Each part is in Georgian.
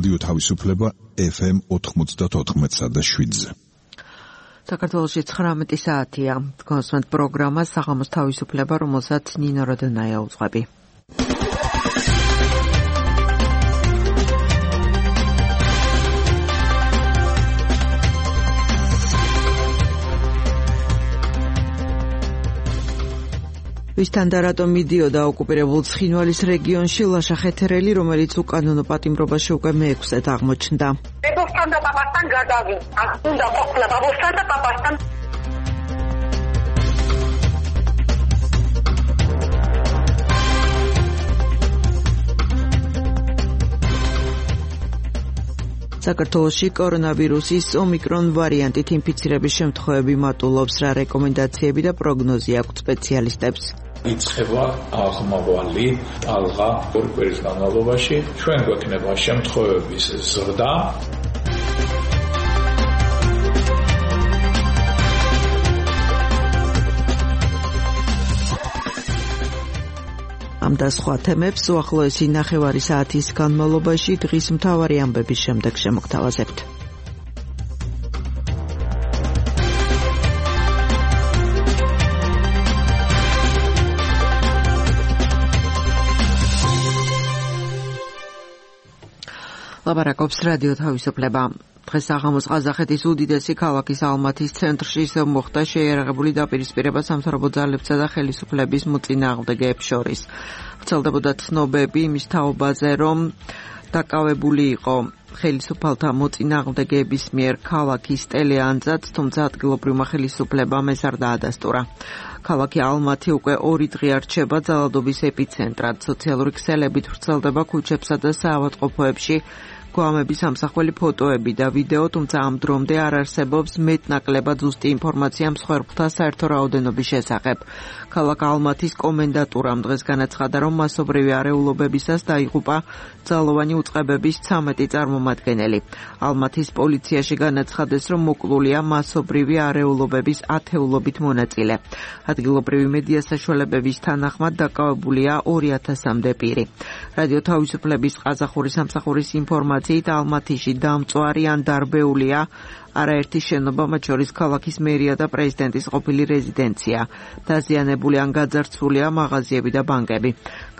რადიო თავისუფლება FM 94.7-ზე. საქართველოში 19 საათია. გასვენთ პროგრამა საღამოს თავისუფლება, რომელსაც ნინო როდონაია უძღვები. ვისთან და რატომ მიდიოდა ოკუპირებულ ცხინვალის რეგიონში ლაშა ხეთერელი, რომელიც უკანონო პატიმრობაში უკვე მე-6-ად აღმოჩნდა. ბაბოსთან და პაპასთან გადავიდა. უნდა ყოფილა ბაბოსთან და პაპასთან. საქართველოში კორონავირუსის ომიკრონ ვარიანტით ინფიცირების შემთხვევები მატულობს. რა რეკომენდაციები და პროგნოზი აქვთ სპეციალისტებს? იწყება აღმავალი ტალღა ორი კვირის განმავლობაში. ჩვენ გვექნება შემთხვევების ზრდა. ამ და სხვა თემებს უახლოესი ნახევარი საათის განმავლობაში დღის მთავარი ამბების შემდეგ შემოგთავაზებთ. ლაბარაკობს რადიო თავისუფლება. დღეს საღამოს ყაზახეთის უდიდესი ქალაქის ალმათის ცენტრში ისევ მოხდა შეიარაღებული დაპირისპირება სამთავრობო ძალებსა და ხელისუფლების მოწინააღმდეგეებს შორის. ვრცელდებოდა ცნობები იმის თაობაზე, რომ დაკავებული იყო ხელისუფალთა მოწინააღმდეგეების მიერ ქალაქის ტელეანძაც, თუმცა ადგილობრივმა ხელისუფლებამ ეს არ დაადასტურა. ქალაქი ალმათი უკვე 2 დღე არ რჩება ძალადობის ეპიცენტრად. სოციალური ქსელებით ვრცელდება ქუჩებსა და საავადმყოფოებში გვამების სამსახველი ფოტოები და ვიდეო, თუმცა ამ დრომდე არ არსებობს მეტნაკლებად ზუსტი ინფორმაცია მსხვერპლთა საერთო რაოდენობის შესახებ. ქალაქ ალმათის კომენდატურამ დღეს განაცხადა, რომ მასობრივი არეულობებისას დაიღუპა ძალოვანი უწყებების 13 წარმომადგენელი. ალმათის პოლიციაში განაცხადეს, რომ მოკლულია მასობრივი არეულობების ათეულობით მონაწილე. ადგილობრივი მედია საშუალებების თანახმად დაკავებულია 2000-მდე პირი. რადიო თავისუფლების ყაზახური სამსახურის ინფორმაციით ალმათიში დამწვარი ან დარბეულია არაერთი შენობა, მათ შორის ქალაქის მერია და პრეზიდენტის ყოფილი რეზიდენცია. დაზიანებული ან გაძარცვულია მაღაზიები და ბანკები.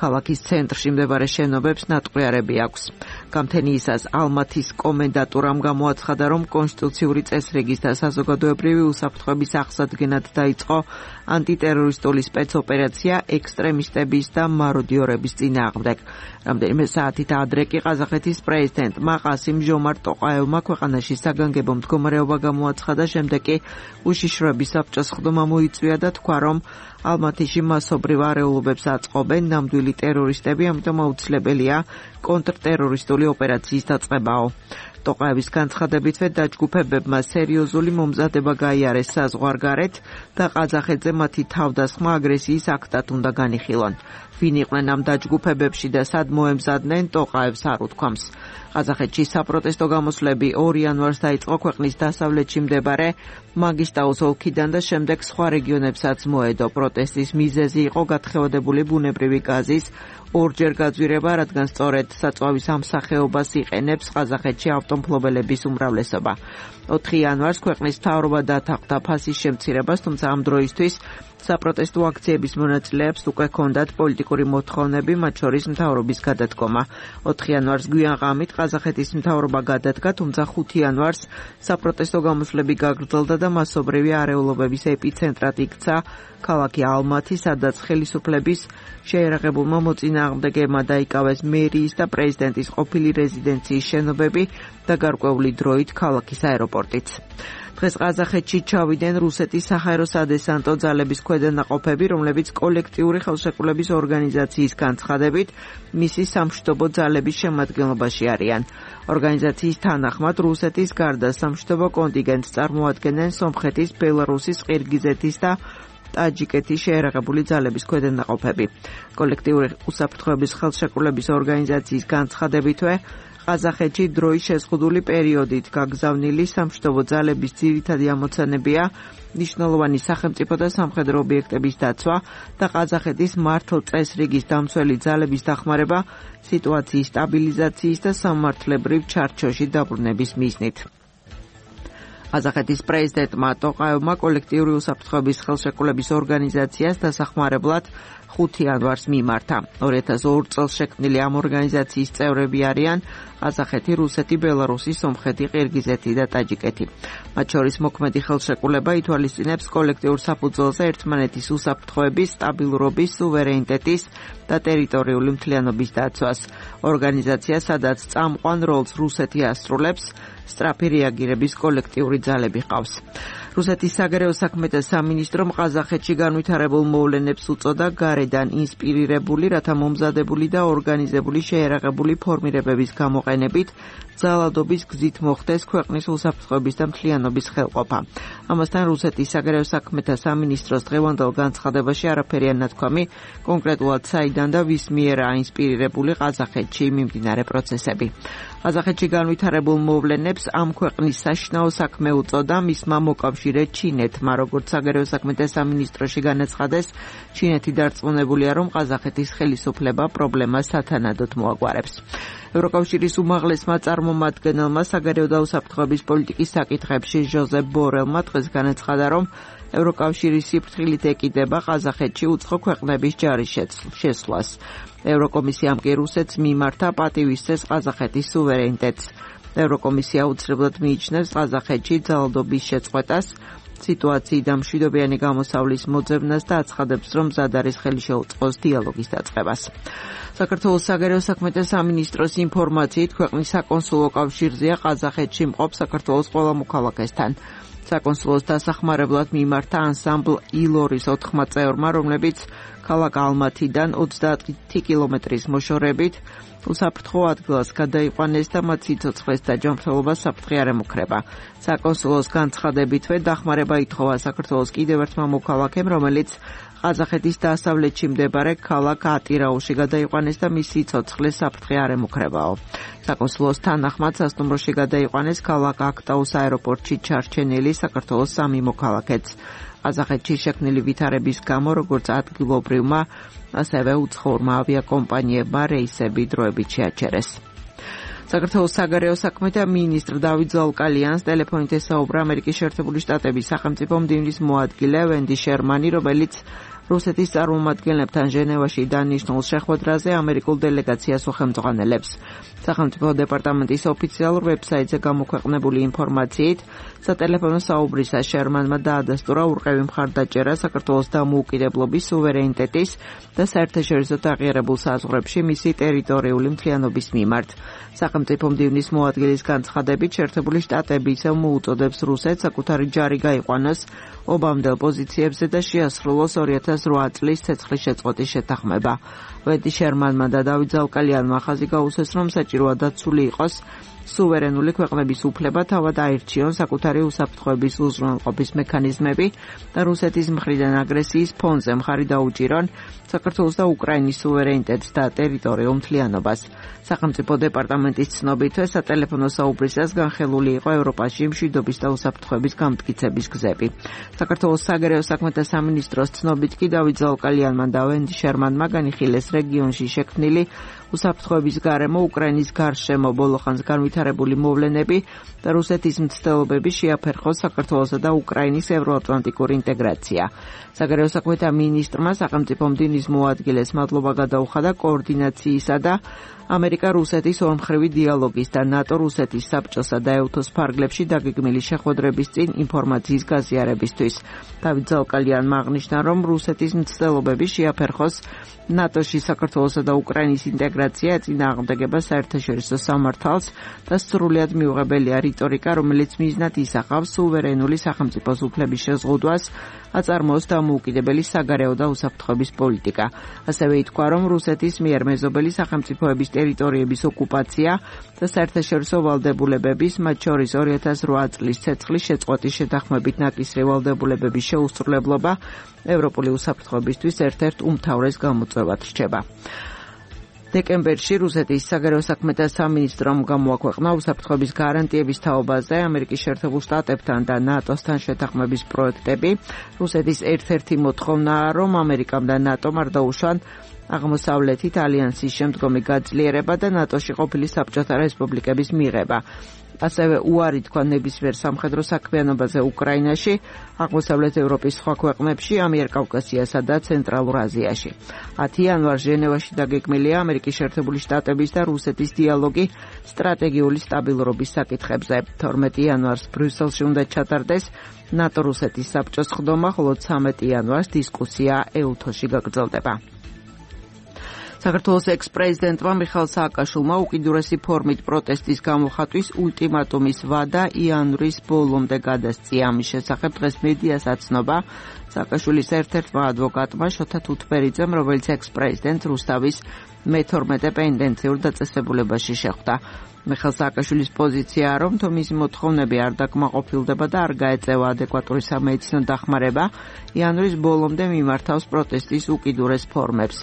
ქალაქის ცენტრში მდებარე შენობებს ნატყუარები აქვს. გამთენიისას ალმათის კომენდატურამ გამოაცხადა, რომ კონსტიტუციური წესრიგის და საზოგადოებრივი უსაფრთხოების აღსადგენად დაიწყო ანტიტერორისტული სპეცოპერაცია ექსტრემისტების და მაროდიორების წინააღმდეგ. რამდენიმე საათით ადრე კი ყაზახეთის პრეზიდენტმა ყასიმ ჟომარტ ტოყაევმა ქვეყანაში საგანგებო მდგომარეობა გამოაცხადა, შემდეგ კი უშიშროების საბჭოს ხდომა მოიწვია და თქვა, რომ ალმათიში მასობრივ არეულობებს აწყობენ ნამდვილი ტერორისტები, ამიტომ აუცილებელია კონტრტერორისტული ოპერაციის დაწყებაო. ტოყაევის განცხადებითვე დაჯგუფებებმა სერიოზული მომზადება გაიარეს საზღვარგარეთ და ყაზახეთზე მათი თავდასხმა აგრესიის აქტად უნდა განიხილონ. ვინ იყვნენ ამ დაჯგუფებებში და სად მოემზადნენ, ტოყაევს არ უთქვამს. ყაზახეთში საპროტესტო გამოსვლები 2 იანვარს დაიწყო ქვეყნის დასავლეთში მდებარე მაგისტაუს ოლქიდან და შემდეგ სხვა რეგიონებსაც მოედო. პროტესტის მიზეზი იყო გათხევადებული ბუნებრივი გაზის ორჯერ გაძვირება, რადგან სწორედ საწვავის ამ სახეობას იყენებს ყაზახეთში ავტომფლობელების უმრავლესობა. 4 იანვარს ქვეყნის მთავრობა დათანხმდა ფასის შემცირებას, თუმცა ამ დროისთვის საპროტესტო აქციების მონაწილეებს უკვე ჰქონდათ პოლიტიკური მოთხოვნები, მათ შორის მთავრობის გადადგომა. 4 იანვარს გვიან ღამით ყაზახეთის მთავრობა გადადგა, თუმცა 5 იანვარს საპროტესტო გამოსვლები გაგრძელდა და მასობრივი არეულობების ეპიცენტრად იქცა ქალაქი ალმათი, სადაც ხელისუფლების შეიარაღებულმა მოწინააღმდეგეებმა დაიკავეს მერიის და პრეზიდენტის ყოფილი რეზიდენციის შენობები და გარკვეული დროით ქალაქის აეროპორტიც. დღეს ყაზახეთში ჩავიდნენ რუსეთის საჰაერო სადესანტო ძალების ქვედანაყოფები, რომლებიც კოლექტიური ხელშეკრულების ორგანიზაციის განცხადებით მისი სამშვიდობო ძალების შემადგენლობაში არიან. ორგანიზაციის თანახმად რუსეთის გარდა სამშვიდობო კონტინგენტს წარმოადგენენ სომხეთის, ბელარუსის, ყირგიზეთის და ტაჯიკეთის შეიარაღებული ძალების ქვედანაყოფები. კოლექტიური უსაფრთხოების ხელშეკრულების ორგანიზაციის განცხადებითვე ყაზახეთში დროის შეზღუდული პერიოდით გაგზავნილი სამშვიდობო ძალების ძირითადი ამოცანებია ნიშნულოვანი სახელმწიფო და სამხედრო ობიექტების დაცვა და ყაზახეთის მართლწესრიგის დამცველი ძალების დახმარება სიტუაციის სტაბილიზაციის და სამართლებრივ ჩარჩოში დაბრუნების მიზნით. ყაზახეთის პრეზიდენტმა ტოყაევმა კოლექტიური უსაფრთხოების ხელშეკრულების ორგანიზაციას დასახმარებლად 5 იანვარს მიმართა. 2002 წელს შექმნილი ამ ორგანიზაციის წევრები არიან ყაზახეთი, რუსეთი, ბელარუსი, სომხეთი, ყირგიზეთი და ტაჯიკეთი. მათ შორის მოქმედი ხელშეკრულება ითვალისწინებს კოლექტიურ საფუძველზე ერთმანეთის უსაფრთხოების, სტაბილურობის, სუვერენიტეტის და ტერიტორიული მთლიანობის დაცვას. ორგანიზაცია, სადაც წამყვან როლს რუსეთი ასრულებს, სწრაფი რეაგირების კოლექტიური ძალები ყავს. რუსეთის საგარეო საქმეთა სამინისტრომ ყაზახეთში განვითარებულ მოვლენებს უწოდა გარედან ინსპირირებული, რათა მომზადებული და ორგანიზებული შეერაღებული ფორმირებების გამოყენებით ძალადობის გზით მოხდეს ქვეყნის უსაფრთხოების და მთლიანობის ხელყოფა. ამასთან რუსეთის საგარეო საქმეთა სამინისტროს დღევანდელ განცხადებაში არაფერია ნათქვამი კონკრეტულად საიდან და ვის მიერაა ინსპირირებული ყაზახეთში მიმდინარე პროცესები. ყაზახეთში განვითარებულ მოვლენებს ამ ქვეყნის საშინაო საქმე უწოდა მისმა მოკავშირე ჩინეთმა, როგორც საგარეო საქმეთა სამინისტროში განაცხადეს, ჩინეთი დარწმუნებულია, რომ ყაზახეთის ხელისუფლება პრობლემას სათანადოდ მოაგვარებს. ევროკავშირის უმაღლესმა წარმომადგენელმა საგარეო და უსაფრთხოების პოლიტიკის საკითხებში ჟოზეფ ბორელმა დღეს განაცხადა, რომ ევროკავშირის სიფრთხილით ეკიდება ყაზახეთში უცხო ქვეყნების ჯარის შესვლას. ევროკომისიამ კი რუსეთს მიმართა პატივისცეს ყაზახეთის სუვერენიტეტს. ევროკომისია უცრებლად მიიჩნევს ყაზახეთში ძალადობის შეწყვეტას, სიტუაციიდან მშვიდობიანი გამოსავლის მოძებნას და აცხადებს, რომ მზად არის ხელი შეუწყოს დიალოგის დაწყებას. საქართველოს საგარეო საქმეთა სამინისტროს ინფორმაციით ქვეყნის საკონსულო კავშირზეა ყაზახეთში მყოფ საქართველოს ყველა მოქალაქესთან. საკონსულოს დასახმარებლად მიმართა ანსამბლ ილორის 4 წევრმა, რომლებიც ქალაქ ალმათიდან 30 კილომეტრის მოშორებით უსაფრთხო ადგილას გადაიყვანეს და მათ სიცოცხლეს და ჯანმრთელობას საფრთხე არ ემუქრება. საკონსულოს განცხადებითვე დახმარება ითხოვა საქართველოს კიდევ ერთმა მოქალაქემ, რომელიც ყაზახეთის დასავლეთში მდებარე ქალაქ ატირაუში გადაიყვანეს და მის სიცოცხლეს საფრთხე არ ემუქრებაო. საკონსულოს თანახმად სასტუმროში გადაიყვანეს ქალაქ აქტაუს აეროპორტში ჩარჩენილი საქართველოს 3 მოქალაქეც. ყაზახეთში შექმნილი ვითარების გამო, როგორც ადგილობრივმა, ასევე უცხოურმა ავიაკომპანიებმა რეისები დროებით შეაჩერეს. საქართველოს საგარეო საქმეთა მინისტრ დავით ზაუკალიანს ტელეფონით ესაუბრა ამერიკის შეერთებული შტატების სახელმწიფო მდივნის მოადგილე ვენდი შერმანი, რომელიც რუსეთის წარმომადგენლებთან ჟენევაში დანიშნულ შეხვედრაზე ამერიკულ დელეგაციას უხელმძღვანელებს. სახელმწიფო დეპარტამენტის ოფიციალურ ვებსაიტზე გამოქვეყნებული ინფორმაციით, სატელეფონო საუბრისას შერმანმა დაადასტურა ურყევი მხარდაჭერა საქართველოს დამოუკიდებლობის, სუვერენიტეტის და საერთაშორისო აღიარებულ საზღვრებში მისი ტერიტორიული მთლიანობის მიმართ. სახელმწიფო მდივნის მოადგილის განცხადებით, შეერთებული შტატები ისევ მოუწოდებს რუსეთს საკუთარი ჯარი გაიყვანოს ობამდელ პოზიციებზე და შეასრულოს 2008 წლის ცეცხლის შეწყვეტის შეთანხმება. ვენდი შერმანმა და დავით ზაუკალიანმა ხაზი გაუსვეს, რომ საჭიროა დაცული იყოს სუვერენული ქვეყნების უფლება თავად აირჩიონ საკუთარი უსაფრთხოების უზრუნველყოფის მექანიზმები და რუსეთის მხრიდან აგრესიის ფონზე მხარი დაუჭირონ საქართველოს და უკრაინის სუვერენიტეტს და ტერიტორიულ მთლიანობას. სახელმწიფო დეპარტამენტის ცნობითვე სატელეფონო საუბრისას განხილული იყო ევროპაში მშვიდობის და უსაფრთხოების გამტკიცების გზები. საქართველოს საგარეო საქმეთა სამინისტროს ცნობით კი დავით ზაუკალიანმა და ვენდი შერმანმა განიხილეს რეგიონში შექმნილი უსაფრთხოების გარემო, უკრაინის გარშემო ბოლოხანს განვითარებული მოვლენები და რუსეთის მცდელობები შეაფერხოს საქართველოსა და უკრაინის ევროატლანტიკური ინტეგრაცია. საგარეო საქმეთა მინისტრმა სახელმწიფო მდივნის მოადგილეს მადლობა გადაუხადა კოორდინაციისა და ამერიკა-რუსეთის ორმხრივი დიალოგის და ნატო-რუსეთის საბჭოსა და ეუთოს ფარგლებში დაგეგმილი შეხვედრების წინ ინფორმაციის გაზიარებისთვის. დავით ზაუკალიანმა აღნიშნა, რომ რუსეთის მცდელობები შეაფერხოს ნატოში საქართველოსა და უკრაინის ინტეგრაცია ეწინააღმდეგება საერთაშორისო სამართალს და სრულიად მიუღებელია რიტორიკა, რომელიც მიზნად ისახავს სუვერენული სახელმწიფოს უფლების შეზღუდვას, აწარმოოს დამოუკიდებელი საგარეო და უსაფრთხოების პოლიტიკა. ასევე ითქვა, რომ რუსეთის მიერ მეზობელი სახელმწიფოების ტერიტორიების ოკუპაცია და საერთაშორისო ვალდებულებების, მათ შორის 2008 წლის ცეცხლის შეწყვეტის შეთანხმებით ნაკისრი ვალდებულებების შეუსრულებლობა ევროპული უსაფრთხოებისთვის ერთ-ერთ უმთავრეს გამოწვევად რჩება. დეკემბერში რუსეთის საგარეო საქმეთა სამინისტრომ გამოაქვეყნა უსაფრთხოების გარანტიების თაობაზე ამერიკის შეერთებულ შტატებთან და ნატოსთან შეთანხმების პროექტები. რუსეთის ერთ-ერთი მოთხოვნაა, რომ ამერიკამ და ნატომ არ დაუშვან აღმოსავლეთით ალიანსის შემდგომი გაძლიერება და ნატოში ყოფილი საბჭოთა რესპუბლიკების მიღება. ასევე უარი თქვა ნებისმიერ სამხედრო საქმიანობაზე უკრაინაში, აღმოსავლეთ ევროპის სხვა ქვეყნებში, ამიერკავკასიასა და ცენტრალურ აზიაში. 10 იანვარს ჟენევაში დაგეგმილია ამერიკის შეერთებული შტატების და რუსეთის დიალოგი სტრატეგიული სტაბილურობის საკითხებზე. 12 იანვარს ბრიუსელში უნდა ჩატარდეს ნატო-რუსეთის საბჭოს ხდომა, ხოლო 13 იანვარს დისკუსია ეუთოში გაგრძელდება. საქართველოს ექს-პრეზიდენტმა მიხეილ სააკაშვილმა უკიდურესი ფორმით პროტესტის გამოხატვის ულტიმატუმის ვადა იანვრის ბოლომდე გადასწია. ამის შესახებ დღეს მედიას აცნობა სააკაშვილის ერთ-ერთმა ადვოკატმა შოთა თუთბერიძემ, რომელიც ექს-პრეზიდენტ რუსთავის მე-12 პენდენციურ დაწესებულებაში შეხვდა. მიხეილ სააკაშვილის პოზიციაა, რომ თუ მისი მოთხოვნები არ დაკმაყოფილდება და არ გაეწევა ადეკვატური სამედიცინო დახმარება, იანვრის ბოლომდე მიმართავს პროტესტის უკიდურეს ფორმებს.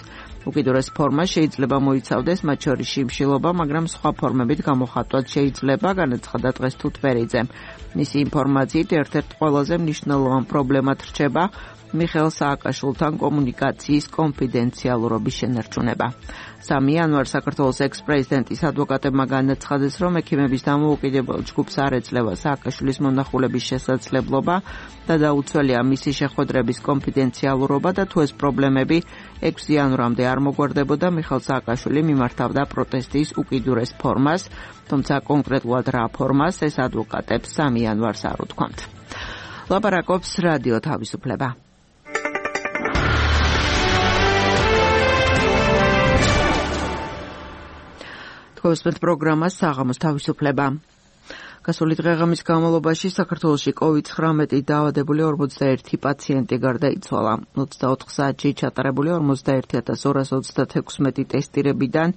უკიდურეს ფორმა შეიძლება მოიცავდეს მათ შორის შიმშილობა, მაგრამ სხვა ფორმებით გამოხატვაც შეიძლება, განაცხადა დღეს თუთბერიძემ. მისი ინფორმაციით ერთ-ერთ ყველაზე მნიშვნელოვან პრობლემად რჩება მიხეილ სააკაშვილთან კომუნიკაციის კონფიდენციალურობის შენარჩუნება. 3 იანვარს საქართველოს ექს-პრეზიდენტის ადვოკატებმა განაცხადეს, რომ ექიმების დამოუკიდებელ ჯგუფს არ ეძლევა სააკაშვილის მონახულების შესაძლებლობა და დაუცველია მისი შეხვედრების კონფიდენციალურობა და თუ ეს პრობლემები 6 იანვრამდე არ მოგვარდებოდა, მიხეილ სააკაშვილი მიმართავდა პროტესტის უკიდურეს ფორმას, თუმცა კონკრეტულად რა ფორმას ეს ადვოკატებს 3 იანვარს არ უთქვამთ. ლაპარაკობს რადიო თავისუფლება. თქვენს პროგრამას საღამოს თავისუფლება. გასული დღეღამის განმავლობაში საქართველოში COVID-19 დაავადებული 41 პაციენტი გარდაიცვალა. 24 საათში ჩატარებული 41236 ტესტირებიდან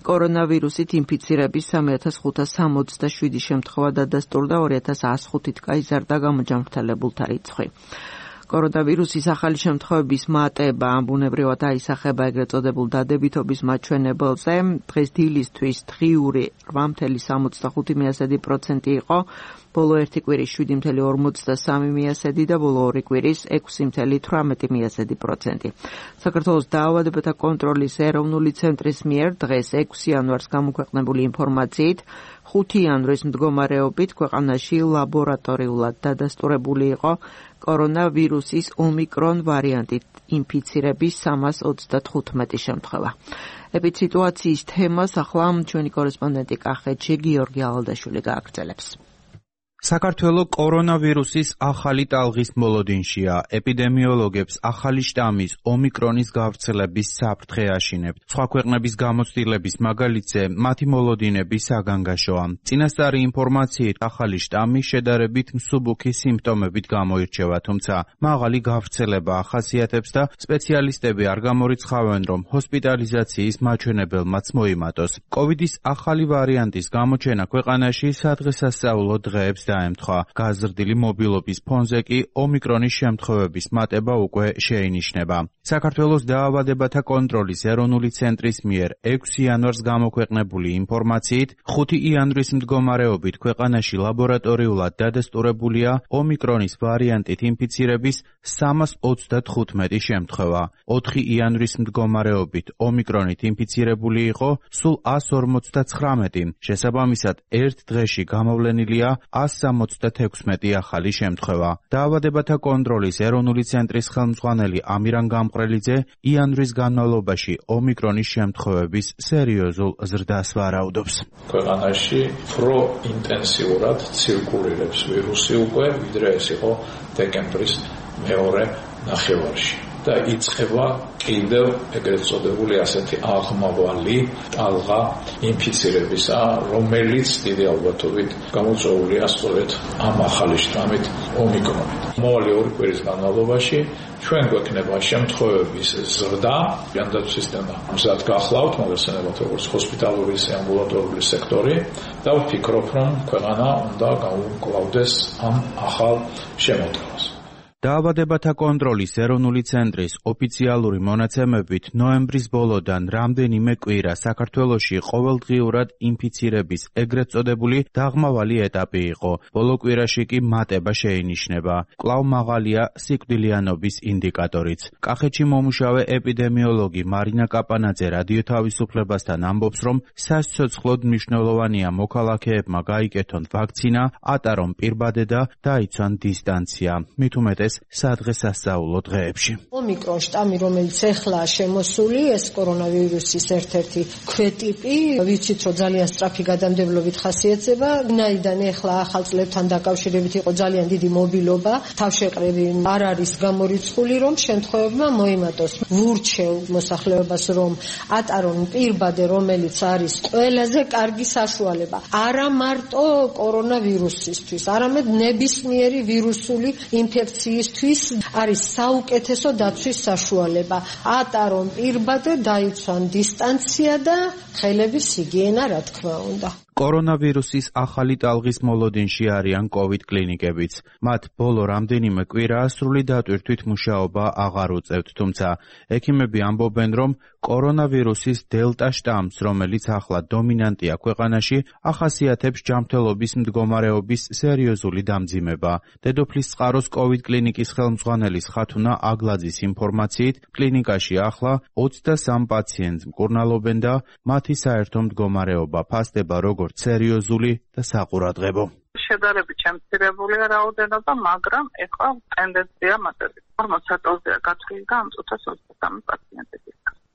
კორონავირუსით ინფიცირების 3567 შემთხვევა დადასტურდა, 2105-ით გაიზარდა გამოჯანმრთელებულთა რიცხვი. კორონავირუსის ახალი შემთხვევების მატება ბუნებრივად აისახება ეგრეთ წოდებულ დადებითობის მაჩვენებელზე. დღეს დილისთვის დღიური 8.65% იყო, ბოლო ერთი კვირის 7.53% და ბოლო ორი კვირის 6.18%. საქართველოს დაავადებათა კონტროლის ეროვნული ცენტრის მიერ დღეს 6 იანვარს გამოქვეყნებული ინფორმაციით 5 იანვრის მდგომარეობით ქვეყანაში ლაბორატორიულად დადასტურებული იყო კორონავირუსის ომიკრონ ვარიანტით ინფიცირების 335 შემთხვევა. ეპიდსიტუაციის თემას ახლა ჩვენი კორესპონდენტი კახეთში გიორგი ალალდაშვილი გააგრძელებს. საქართველოს კორონავირუსის ახალი ტალღის მოლოდინშია. ეპიდემიოლოგებს ახალი შტამის ომიკრონის გავრცელების საფრთხე აშინებთ. სხვა ქვეყნების გამოცდილების მაგალითზე მათი მოლოდინები საგანგაშოა. წინასწარი ინფორმაციით ახალი შტამი შედარებით მსუბუქი სიმპტომებით გამოირჩევა, თუმცა მაღალი გავრცელება ახასიათებს და სპეციალისტები არ გამორიცხავენ, რომ ჰოსპიტალიზაციის მაჩვენებელმაც მოიმატოს. კოვიდის ახალი ვარიანტის გამოჩენა ქვეყანაში სადღესასწაულო დღეებს დაემთხვა. გაზრდილი მობილობის ფონზე კი ომიკრონის შემთხვევების მატება უკვე შეინიშნება. საქართველოს დაავადებათა კონტროლის ეროვნული ცენტრის მიერ 6 იანვარს გამოქვეყნებული ინფორმაციით 5 იანვრის მდგომარეობით ქვეყანაში ლაბორატორიულად დადასტურებულია ომიკრონის ვარიანტით ინფიცირების 335 შემთხვევა. 4 იანვრის მდგომარეობით ომიკრონით ინფიცირებული იყო სულ 159. შესაბამისად, ერთ დღეში გამოვლენილია 176 ახალი შემთხვევა. დაავადებათა კონტროლის ეროვნული ცენტრის ხელმძღვანელი ამირან გამყრელიძე იანვრის განმავლობაში ომიკრონის შემთხვევების სერიოზულ ზრდას ვარაუდობს. ქვეყანაში პროინტენსიურად ცირკულირებს ვირუსი უკვე, ვიდრე ეს იყო დეკემბრის მეორე ნახევარში. და იწყება კიდევ ეგრეთ წოდებული ასეთი აღმავალი ტალღა ინფიცირებისა, რომელიც დიდი ალბათობით გამოწვეულია სწორედ ამ ახალი შტამით ომიკრონით. მომავალი ორი კვირის განმავლობაში ჩვენ გვექნება შემთხვევების ზრდა, ჯანდაცვის სისტემა მზად გახლავთ, მოგესალმებით როგორც ჰოსპიტალური ამბულატორიული სექტორი და ვფიქრობ, რომ ქვეყანა უნდა გაუმკლავდეს ამ ახალ შემოდგომას. დაავადებათა კონტროლის ეროვნული ცენტრის ოფიციალური მონაცემებით ნოემბრის ბოლოდან რამდენიმე კვირა საქართველოში ყოველდღიურად ინფიცირების ეგრეთ წოდებული დაღმავალი ეტაპი იყო. ბოლო კვირაში კი მატება შეინიშნება. კვლავ მაღალია სიკვდილიანობის ინდიკატორიც. კახეთში მომუშავე ეპიდემიოლოგი მარინა კაპანაძე რადიო თავისუფლებასთან ამბობს, რომ სასიცოცხლოდ მნიშვნელოვანია მოქალაქეებმა გაიკეთონ ვაქცინა, ატარონ პირბადე და დაიცვან დისტანცია. მით უმეტეს სადღესასწაულო დღეებში. ომიკრონ შტამი, რომელიც ეხლა შემოსული, ეს კორონავირუსის ერთ-ერთი ქვეტიპი, ვიცით, რომ ძალიან სწრაფი გადამდებლობით ხასიათდება. ვინაიდან ეხლა ახალ წლებთან დაკავშირებით იყო ძალიან დიდი მობილობა, თავშეყრები არ არის გამორიცხული, რომ შემთხვევებმა მოიმატოს ვურჩევ მოსახლეობას, რომ ატარონ პირბადე, რომელიც არის ყველაზე კარგი საშუალება. არა მარტო კორონავირუსისთვის, არამედ ნებისმიერი ვირუსული ინფექციის არის საუკეთესო დაცვის საშუალება. ატარონ პირბადე, დაიცვან დისტანცია და ხელების ჰიგიენა, რა თქმა უნდა. კორონავირუსის ახალი ტალღის მოლოდინში არიან COVID კლინიკებიც. მათ ბოლო რამდენიმე კვირაა სრული დატვირთვით მუშაობა აღარ უწევთ, თუმცა ექიმები ამბობენ, რომ კორონავირუსის დელტა შტამს, რომელიც ახლა დომინანტია ქვეყანაში, ახასიათებს ჯანმრთელობის მდგომარეობის სერიოზული დამძიმება. დედოფლის წყაროს COVID კლინიკის ხელმძღვანელის ხათუნა აგლაძის ინფორმაციით, კლინიკაში ახლა 23 პაციენტს მკურნალობენ და მათი საერთო მდგომარეობა ფასდება როგორც სერიოზული და საყურადღებო. შედარებით შემცირებულია რაოდენობა, მაგრამ ეხლა ტენდენცია მატებით. 40 დოზია გათვლილი და ამ წუთას 23 პაციენტი.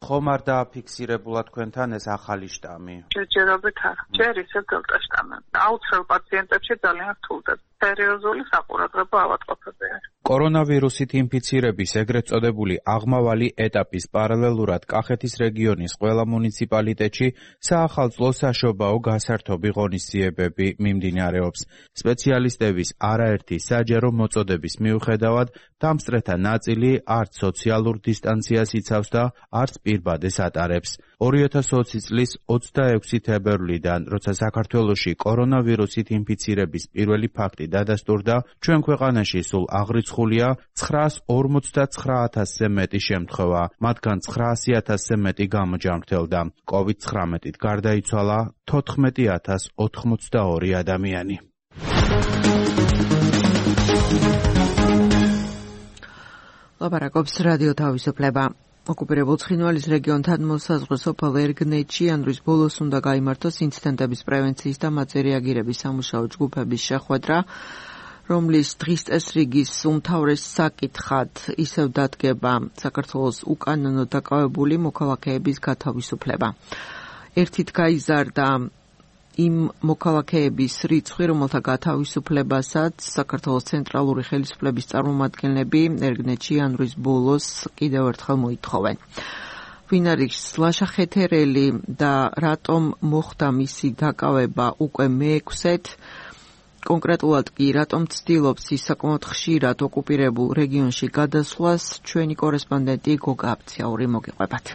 ხომ არ დააფიქსირებულა თქვენთან ეს ახალი შტამი? ჯერჯერობით არა. ჯერ ისე დელტა შტამი. აუცილებლად პაციენტებში ძალიან რთულდება. სერიოზული საყურადღებო ავადმყოფები არის. კორონავირუსით ინფიცირების ეგრეთ წოდებული აღმავალი ეტაპის პარალელურად კახეთის რეგიონის ყველა მუნიციპალიტეტში საახალწლო საშობაო გასართობი ღონისძიებები მიმდინარეობს. სპეციალისტების არაერთი საჯარო მოწოდების მიუხედავად დამსწრეთა ნაწილი არც სოციალურ დისტანციას იცავს და არც პირბადეს ატარებს. 2020 წლის 26 თებერვლიდან, როცა საქართველოში კორონავირუსით ინფიცირების პირველი ფაქტი დადასტურდა, ჩვენ ქვეყანაში სულ აღრიცხულია 949,000-ზე მეტი შემთხვევა, მათგან 900,000-ზე მეტი გამოჯანმრთელდა. COVID-19-ით გარდაიცვალა 14,082 ადამიანი. ლაპარაკობს რადიო თავისუფლება. ოკუპირებულ ცხინვალის რეგიონთან მოსაზღვრე სოფელ ერგნეთში იანვრის ბოლოს უნდა გაიმართოს ინციდენტების პრევენციის და მათზე რეაგირების სამუშაო ჯგუფების შეხვედრა, რომლის დღის წესრიგის უმთავრეს საკითხად ისევ დადგება საქართველოს უკანონო დაკავებული მოქალაქეების გათავისუფლება. ერთით გაიზარდა იმ მოქალაქეების რიცხვი, რომელთა გათავისუფლებასაც საქართველოს ცენტრალური ხელისუფლების წარმომადგენლები ერგნეთში იანვრის ბოლოს კიდევ ერთხელ მოითხოვენ. ვინ არის ლაშა ხეთერელი და რატომ მოხდა მისი დაკავება უკვე მე-6-ეთ? კონკრეტულად კი რატომ ცდილობს ის საკმაოდ ხშირად ოკუპირებულ რეგიონში გადასვლას, ჩვენი კორესპონდენტი გოგა აბციაური მოგიყვებათ.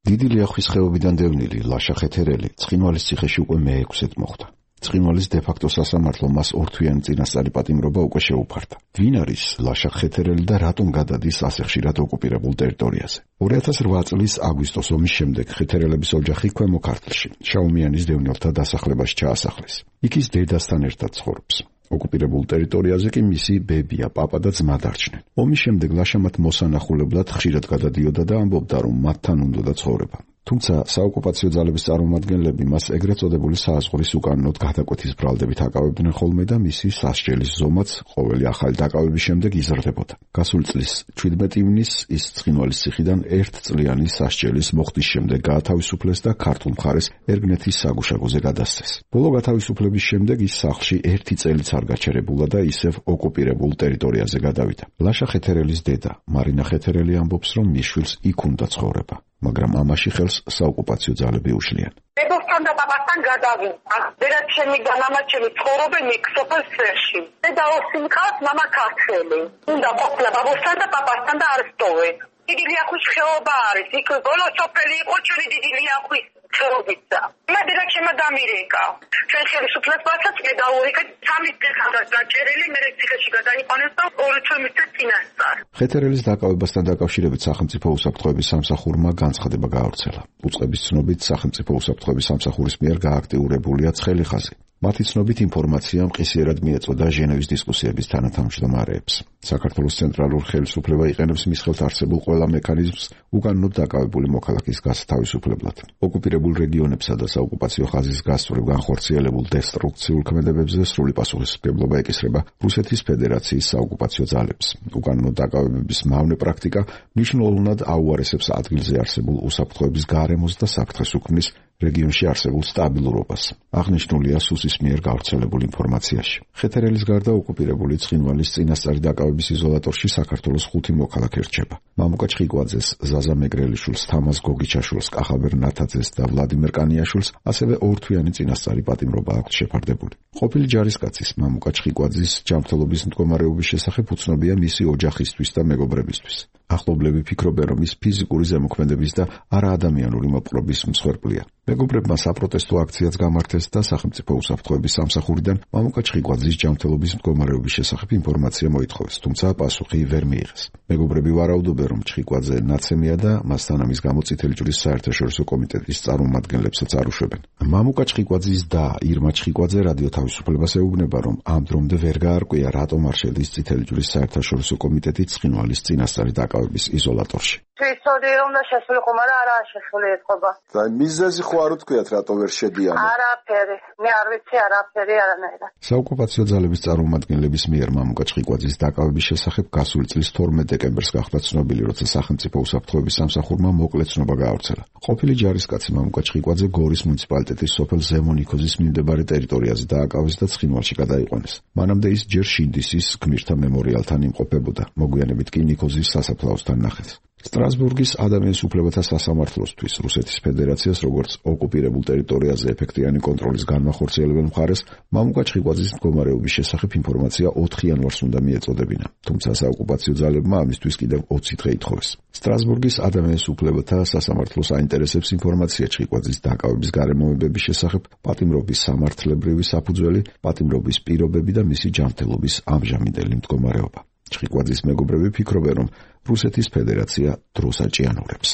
დიდი ლიახვის ხეობიდან დევნილი ლაშა ხეთერელი ცხინვალის ციხეში უკვე მე-6-ით მოხვდა. ცხინვალის დე-ფაქტო სასამართლო მას ორთვიანი წინასწარი პატიმრობა უკვე შეუფარდა. ვინ არის ლაშა ხეთერელი და რატომ გადადის ასე ხშირად ოკუპირებულ ტერიტორიაზე? 2008 წლის აგვისტოს ომის შემდეგ ხეთერელების ოჯახი ქვემო ქართლში, შაუმიანის დევნილთა დასახლებაში ჩაასახლეს. იქ ის დედასთან ერთად ცხოვრობს. ოკუპირებულ ტერიტორიაზე კი მისი ბებია, პაპა და ძმა დარჩნენ. ომის შემდეგ ლაშა მათ მოსანახულებლად ხშირად გადადიოდა და ამბობდა, რომ მათთან უნდოდა ცხოვრება. თუმცა საოკუპაციო ძალების წარმომადგენლები მას ეგრეთ წოდებული საზღვრის უკანონოდ გადაკვეთის ბრალდებით აკავებდნენ ხოლმე და მისი სასჯელის ზომაც ყოველი ახალი დაკავების შემდეგ იზრდებოდა. გასული წლის 17 ივნისს ის ცხინვალის ციხიდან 1 წლიანი სასჯელის მოხდის შემდეგ გაათავისუფლეს და ქართულ მხარეს ერგნეთის საგუშაგოზე გადასცეს. ბოლო გათავისუფლების შემდეგ ის სახლში 1 წელიც არ გაჩერებულა და ისევ ოკუპირებულ ტერიტორიაზე გადავიდა. ლაშა ხეთერელის დედა მარინა ხეთერელი ამბობს, რომ მის შვილს იქ უნდა ცხოვრება. მაგრამ ამაში ხელს საოკუპაციო ძალები უშლიან. დედასთან და პაპასთან გადავიდა. დედა ჩემი განამაჩენი ცხოვრობენ იქ სოფელ სერში. დედა ოსიმხავს, მამა ქართველი. უნდა ყოფილა ბაბოსთან და პაპასთან და არ სტოვენ. დიდი ლიახვის ხეობა არის. იქ ბოლო სოფელი იყო ჩვენი დიდი ლიახვის ცრობიცა. იმედი რა შემოდამირეკა. ჩვენ ხელისუფლებასაც მე დაურეკეთ 3 დღესაც დაჭერილი, მე ციხეში გადაიყვანეს და 2 თვე წინასწარ. ხეთერელის დაკავებასთან დაკავშირებით სახელმწიფო უსაფრთხოების სამსახურმა განცხადება გაავრცელა. უწყების ცნობით სახელმწიფო უსაფრთხოების სამსახურის მიერ გააქტიურებულია ცხელი ხაზი. მათი ცნობით ინფორმაცია მყისიერად მიეწოდა ჟენევის დისკუსიების თანათავმჯდომარეებს. საქართველოს ცენტრალურ ხელისუფლება იყენებს მის ხელთ არსებულ ყველა მექანიზმს უკანონოდ დაკავებული მოქალაქის გასათავისუფლებლად. ოკუპირებულ რეგიონებსა და საოკუპაციო ხაზის გასწვრივ განხორციელებულ დესტრუქციულ ქმედებებზე სრული პასუხისმგებლობა ეკისრება რუსეთის ფედერაციის საოკუპაციო ძალებს. უკანონო დაკავებების მავნე პრაქტიკა მნიშვნელოვნად აუარესებს ადგილზე არსებულ უსაფრთხოების გარემოს და საფრთხეს უქმნის რეგიონში არსებულ სტაბილურობას. აღნიშნულია სუსის მიერ გავრცელებულ ინფორმაციაში. ხეთერელის გარდა ოკუპირებული ცხინვალის წინასწარი დაკავების იზოლატორში საქართველოს 5 მოქალაქე რჩება. მამუკა ჩხიკვაძეს, ზაზა მეგრელიშვილს, თამაზ გოგიჩაშვილს, კახაბერ ნათაძეს და ვლადიმერ კანიაშვილს ასევე 2 თვიანი წინასწარი პატიმრობა აქვთ შეფარდებული. ყოფილი ჯარისკაცის მამუკა ჩხიკვაძის ჯანმრთელობის მდგომარეობის შესახებ უცნობია მისი ოჯახისთვის და მეგობრებისთვის. ახლობლები ფიქრობენ, რომ ის ფიზიკური ზემოქმედების და არაადამიანური მოპყრობის მსხვერპლია. მეგობრებმა საპროტესტო აქციაც გამართეს და სახელმწიფო უსაფრთხოების სამსახურიდან მამუკა ჩხიკვაძის ჯანმრთელობის მდგომარეობის შესახებ ინფორმაცია მოითხოვეს, თუმცა პასუხი ვერ მიიღეს. მეგობრები ვარაუდობენ, რომ ჩხიკვაძე ნაცემია და მასთან ამის გამო წითელი ჯვრის საერთაშორისო კომიტეტის წარმომადგენლებსაც არ უშვებენ. მამუკა ჩხიკვაძის და ირმა ჩხიკვაძე რადიო თავისუფლებას ეუბნება, რომ ამ დრომდე ვერ გაარკვია, რატომ არ შედის წითელი ჯვრის საერთაშორისო კომიტეტი ცხინვალის წინასწარი დაკავების იზოლატორში. ისტორია უნდა შესულიყო, მაგრამ არაა შესული ეთყობა. და მიზეზი ხო არ უთქვიათ, რატო ვერ შედიან? არაფერი. მე არ ვიცი არაფერი არანაირად. საოკუპაციო ძალების წარმომადგენლების მიერ მამუკა ჩხიკვაძის დაკავების შესახებ გასული წლის 12 დეკემბერს გახდა ცნობილი, როცა სახელმწიფო უსაფრთხოების სამსახურმა მოკლე ცნობა გაავრცელა. ყოფილი ჯარისკაცი მამუკა ჩხიკვაძე გორის მუნიციპალიტეტის სოფელ ზემონიქოზის მიმდებარე ტერიტორიაზე დააკავეს და ცხინვალში გადაიყვანეს. მანამდე ის ჯერ შინდისის გმირთა მემორიალთან იმყოფებოდა, მოგვიანებით კი ნიქოზის სასაფლაოსთან ნახეს. სტრასბურგის ადამიანის უფლებათა სასამართლოსთვის რუსეთის ფედერაციას როგორც ოკუპირებულ ტერიტორიაზე ეფექტიანი კონტროლის განმახორციელებელ მხარეს მამუკა ჩხიკვაძის მდგომარეობის შესახებ ინფორმაცია 4 იანვარს უნდა მიეწოდებინა, თუმცა საოკუპაციო ძალებმა ამისთვის კიდევ 20 დღე ითხოვეს. სტრასბურგის ადამიანის უფლებათა სასამართლოს აინტერესებს ინფორმაცია ჩხიკვაძის დაკავების გარემოებების შესახებ, პატიმრობის სამართლებრივი საფუძველი, პატიმრობის პირობები და მისი ჯანმრთელობის ამჟამინდელი მდგომარეობა. ჩხიკვაძის მეგობრები ფიქრობენ, რომ რუსეთის ფედერაცია დროს აჭიანურებს.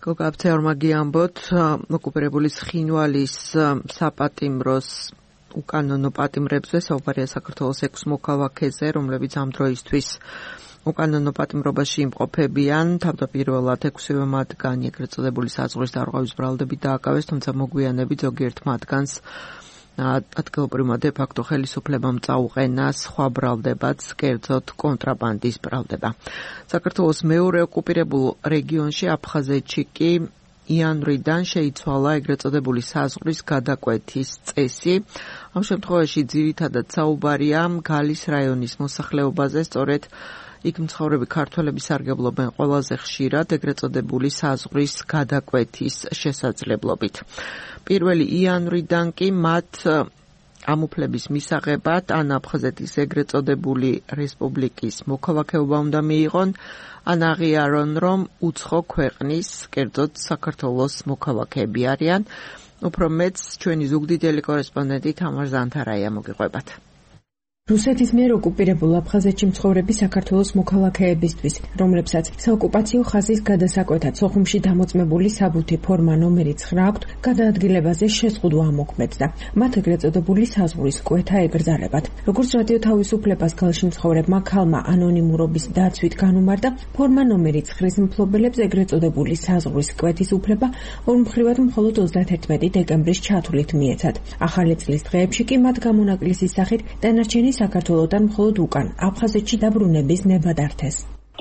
გოგა აფცეორმა გიამბოთ, ოკუპირებული ცხინვალის საპატიმროს უკანონო პატიმრებზე საუბარია საქართველოს 6 მოქალაქეზე, რომლებიც ამ დროისთვის უკანონო პატიმრობაში იმყოფებიან. თავდაპირველად 6-ვე მათგანი ეგრეთ წოდებული საზღვრის დარღვევის ბრალდებით დააკავეს, თუმცა მოგვიანებით ზოგიერთ მათგანს ადგილობრივმა დე-ფაქტო ხელისუფლებამ წაუყენა სხვა ბრალდებაც, კერძოდ კონტრაბანდის ბრალდება. საქართველოს მეორე ოკუპირებულ რეგიონში აფხაზეთში კი იანვრიდან შეიცვალა ეგრეთ წოდებული საზღვრის გადაკვეთის წესი. ამ შემთხვევაში ძირითადად საუბარია გალის რაიონის მოსახლეობაზე, სწორედ იქ მცხოვრები ქართველები სარგებლობენ ყველაზე ხშირად ეგრეთ წოდებული საზღვრის გადაკვეთის შესაძლებლობით. 1 იანვრიდან კი მათ ამ უფლების მისაღებად ან აფხაზეთის ეგრეთ წოდებული რესპუბლიკის მოქალაქეობა უნდა მიიღონ, ან აღიარონ, რომ უცხო ქვეყნის, კერძოდ საქართველოს მოქალაქეები არიან. უფრო მეც ჩვენი ზუგდიდელი კორესპონდენტი თამარ ზანთარაია მოგიყვებათ. რუსეთის მიერ ოკუპირებულ აფხაზეთში მცხოვრები საქართველოს მოქალაქეებისთვის, რომლებსაც საოკუპაციო ხაზის გადასაკვეთად სოხუმში დამოწმებული საბუთი ფორმა ნომერი 9 აქვთ, გადაადგილებაზე შეზღუდვა ამოქმედდა. მათ ეგრეთ წოდებული საზღვრის კვეთა ეკრძალებათ. როგორც რადიო თავისუფლებას გალში მცხოვრებმა ქალმა ანონიმურობის დაცვით განუმარტა, ფორმა ნომერი 9-ის მფლობელებს ეგრეთ წოდებული საზღვრის კვეთის უფლება ორმხრივად მხოლოდ 31 დეკემბრის ჩათვლით მიეცათ. ახალი წლის დღეებში კი მათ გამონაკლისის სახით დანარჩენი საქართველოდან მხოლოდ უკან აფხაზეთში დაბრუნების ნება დართეს.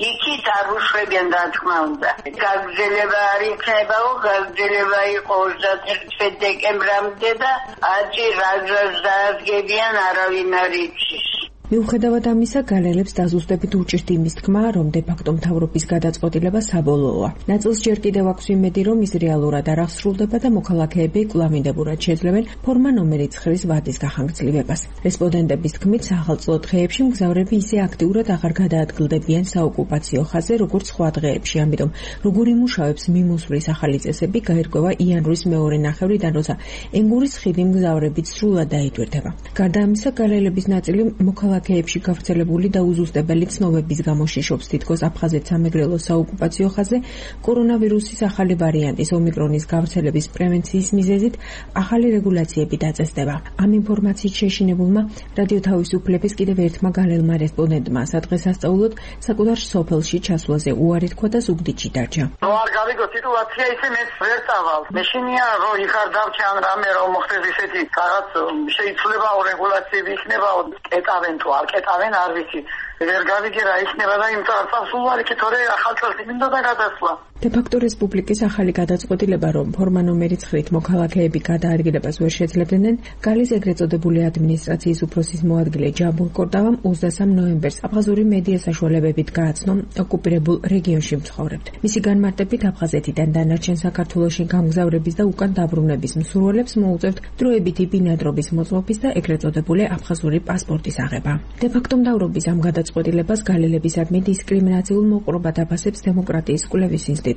იქით არ უშვებიან, რა თქმა უნდა. გაგრძელება არ იქნებაო, გაგრძელება იყო 31 დეკემბრამდე და აწი რაზრას დაადგებიან, არავინ არ იცის. მიუხედავად ამისა, გალელებს დაზუსტებით უჭირთ იმის თქმა, რომ დე-ფაქტო მთავრობის გადაწყვეტილება საბოლოოა. ნაწილს ჯერ კიდევ აქვს იმედი, რომ ის რეალურად არ აღსრულდება და მოქალაქეები კვლავინდებურად შეძლებენ ფორმა ნომერი 9-ის ვადის გახანგრძლივებას. რესპონდენტების თქმით, სახელმწიფო დღეებში მგზავრები ისე აქტიურად აღარ გადაადგილდებიან საოკუპაციო ხაზზე, როგორც სხვა დღეებში. ამიტომ, როგორ იმუშავებს მიმოსვლის ახალი წესები, გაირკვევა იანვრის მეორე ნახევრიდან, როცა ენგურის ხიდი მგზავრებით სრულად დაიტვირთება. გარდა ამისა, გალელების ნაწილი მოქალაქეებში გავრცელებული და უზუსტებელი ცნობების გამო შიშობს თითქოს აფხაზეთ სამეგრელო საოკუპაციო ხაზზე კორონავირუსის ახალი ვარიანტის ომიკრონის გავრცელების პრევენციის მიზეზით ახალი რეგულაციები დაწესდება. ამ ინფორმაციით შეშინებულმა რადიო თავისუფლების კიდევ ერთმა გალელმა რესპონდენტმა სადღესასწაულოდ საკუთარ სოფელში ჩასვლაზე უარი თქვა და ზუგდიდში დარჩა. არ გავიგო სიტუაცია ისე მეც ვერ წავალ. მეშინია რომ იხარ დავჩან რამე რომ მოხდეს ისეთი რაღაც შეიცვლება რეგულაციები იქნება კეტავენ თუ არ კეტავენ არ ვიცი. ვერ გავიგე რა იქნება და იმ წარსულს უარი კი თორე ახალ წელს მინდა და გადასვლა. დე-ფაქტო რესპუბლიკის ახალი გადაწყვეტილება, რომ ფორმა ნომერი 9-ით მოქალაქეები გადაადგილებას ვერ შეძლებდნენ, გალის ეგრეთ წოდებული ადმინისტრაციის უფროსის მოადგილე ჯაბურ კორდავამ 23 ნოემბერს აფხაზური მედია საშუალებებით გააცნო ოკუპირებულ რეგიონში მცხოვრებთ. მისი განმარტებით აფხაზეთიდან დანარჩენ საქართველოში გამგზავრების და უკან დაბრუნების მსურველებს მოუწევთ დროებითი ბინადრობის მოწმობის და ეგრეთ წოდებული აფხაზური პასპორტის აღება. დე-ფაქტო მთავრობის ამ გადაწყვეტილებას გალელებისადმი დისკრიმინაციულ მოყრობად აფასებს დემოკრატიის კვლევის ინსტიტუტი.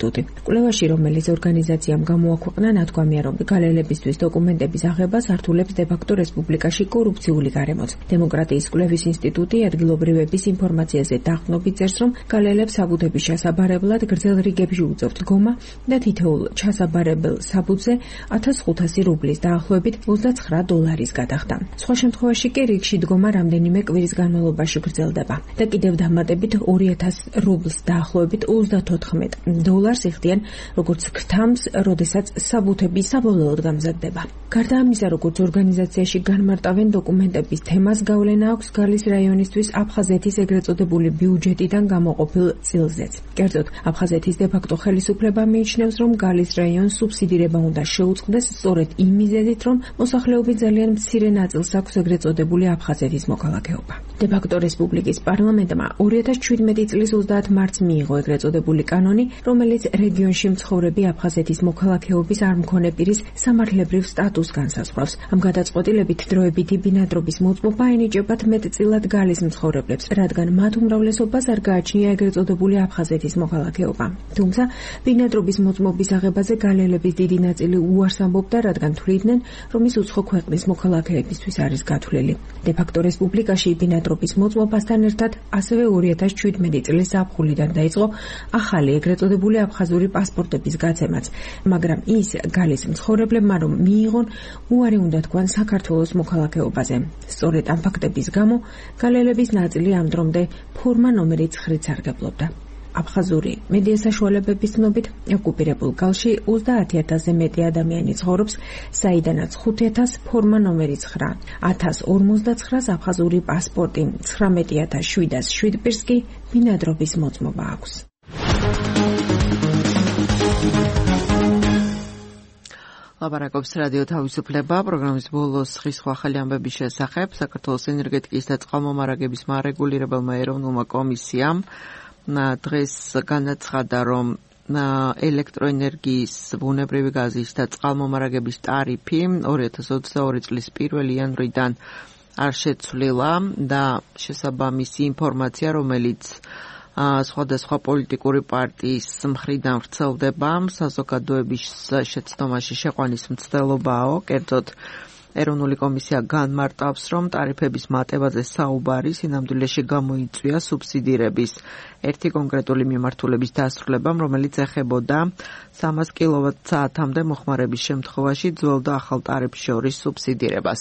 კვლევაში, რომელიც ორგანიზაციამ გამოაქვეყნა, ნათქვამია, რომ გალელებისთვის დოკუმენტების აღება სართულებს დე-ფაქტო რესპუბლიკაში კორუფციული გარემოც. დემოკრატიის კვლევის ინსტიტუტი ადგილობრივების ინფორმაციაზე დაყრდნობით წერს, რომ გალელებს საბუთების ჩასაბარებლად გრძელ რიგებში უწევთ დგომა და თითოეულ ჩასაბარებელ საბუთზე 1500 რუბლის დაახლოებით $29 გადახდა. სხვა შემთხვევაში კი რიგში დგომა რამდენიმე კვირის განმავლობაში გრძელდება და კიდევ დამატებით 2000 რუბლს დაახლოებით $34 იხდიან, როგორც ქრთამს, როდესაც საბუთები საბოლოოდ გამზადდება. გარდა ამისა, როგორც ორგანიზაციაში განმარტავენ დოკუმენტების თემას გავლენა აქვს გალის რაიონისთვის აფხაზეთის ეგრეთ წოდებული ბიუჯეტიდან გამოყოფილ წილზეც. კერძოდ, აფხაზეთის დე-ფაქტო ხელისუფლება მიიჩნევს, რომ გალის რაიონს სუბსიდირება უნდა შეუწყდეს სწორედ იმ მიზეზით, რომ მოსახლეობის ძალიან მცირე ნაწილს აქვს ეგრეთ წოდებული აფხაზეთის მოქალაქეობა. დე-ფაქტო რესპუბლიკის პარლამენტმა 2017 წლის 30 მარტს მიიღო ეგრეთ წოდებული კანონი, რომელიც რეგიონში მცხოვრები აფხაზეთის მოქალაქეობის არ მქონე პირის სამართლებრივ სტატუსს განსაზღვრავს. ამ გადაწყვეტილებით დროებითი ბინადრობის მოწმობა ენიჭებათ მეტწილად გალის მცხოვრებლებს, რადგან მათ უმრავლესობას არ გააჩნია ეგრეთ წოდებული აფხაზეთის მოქალაქეობა. თუმცა ბინადრობის მოწმობის აღებაზე გალელების დიდი ნაწილი უარს ამბობდა, რადგან თვლიდნენ, რომ ის უცხო ქვეყნის მოქალაქეებისთვის არის გათვლილი. დე-ფაქტო რესპუბლიკაში ბინადრობის მოწმობასთან ერთად ასევე 2017 წლის ზაფხულიდან დაიწყო ახალი ეგრეთ წოდებული აფხაზური პასპორტების გაცემაც, მაგრამ ის გალის მცხოვრებლებმა რომ მიიღონ, უარი უნდა თქვან საქართველოს მოქალაქეობაზე. სწორედ ამ ფაქტების გამო გალელების ნაწილი ამ დრომდე ფორმა ნომერი 9-ით სარგებლობდა. აფხაზური მედია საშუალებების ცნობით, ოკუპირებულ გალში 30000-ზე მეტი ადამიანი ცხოვრობს, საიდანაც 5000 ფორმა ნომერი 9, 1059-ს აფხაზური პასპორტი, 19707 პირს კი ბინადრობის მოწმობა აქვს. ლაპარაკობს რადიო თავისუფლება, პროგრამის ბოლოს სხვა ახალი ამბების შესახებ. საქართველოს ენერგეტიკის და წყალმომარაგების მარეგულირებელმა ეროვნულმა კომისიამ დღეს განაცხადა, რომ ელექტროენერგიის, ბუნებრივი გაზის და წყალმომარაგების ტარიფი 2022 წლის 1 იანვრიდან არ შეცვლილა და შესაბამისი ინფორმაცია, რომელიც სხვადასხვა პოლიტიკური პარტიის მხრიდან ვრცელდება, საზოგადოების შეცდომაში შეყვანის მცდელობაო. კერძოდ, ეროვნული კომისია განმარტავს, რომ ტარიფების მატებაზე საუბარი სინამდვილეში გამოიწვია სუბსიდირების ერთი კონკრეტული მიმართულების დასრულებამ, რომელიც ეხებოდა 300 კილოვატ-საათამდე მოხმარების შემთხვევაში ძველ და ახალ ტარიფს შორის სუბსიდირებას.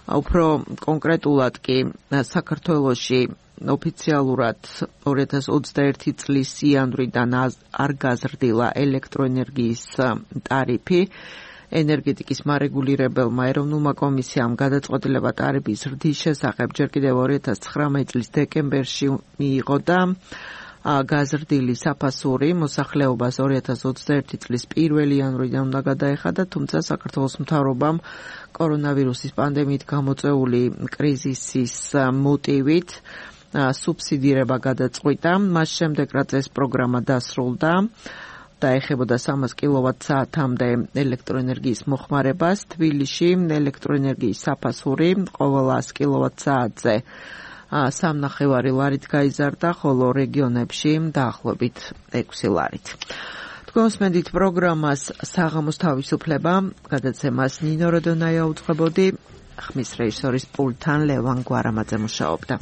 უფრო კონკრეტულად კი საქართველოში ოფიციალურად 2021 წლის იანვრიდან არ გაზრდილა ელექტროენერგიის ტარიფი. ენერგეტიკის მარეგულირებელმა ეროვნულმა კომისიამ გადაწყვეტილება ტარიფის ზრდის შესახებ ჯერ კიდევ 2019 წლის დეკემბერში მიიღო და გაზრდილი საფასური მოსახლეობას 2021 წლის 1 იანვრიდან უნდა გადაეხადა, თუმცა საქართველოს მთავრობამ კორონავირუსის პანდემიით გამოწვეული კრიზისის მოტივით სუბსიდირება გადაწყვიტა. მას შემდეგ რაც ეს პროგრამა დასრულდა და ეხებოდა 300 კილოვატ-საათამდე ელექტროენერგიის მოხმარებას, თბილისში ელექტროენერგიის საფასური ყოველ 100 კილოვატ-საათზე 3.5 ლარით გაიზარდა, ხოლო რეგიონებში დაახლოებით 6 ლარით. თქვენ უსმენთ პროგრამას საღამოს თავისუფლება, გადაცემას ნინო როდონაია უძღვებოდი, ხმის რეჟისორის პულტთან ლევან გვარამაძე მუშაობდა.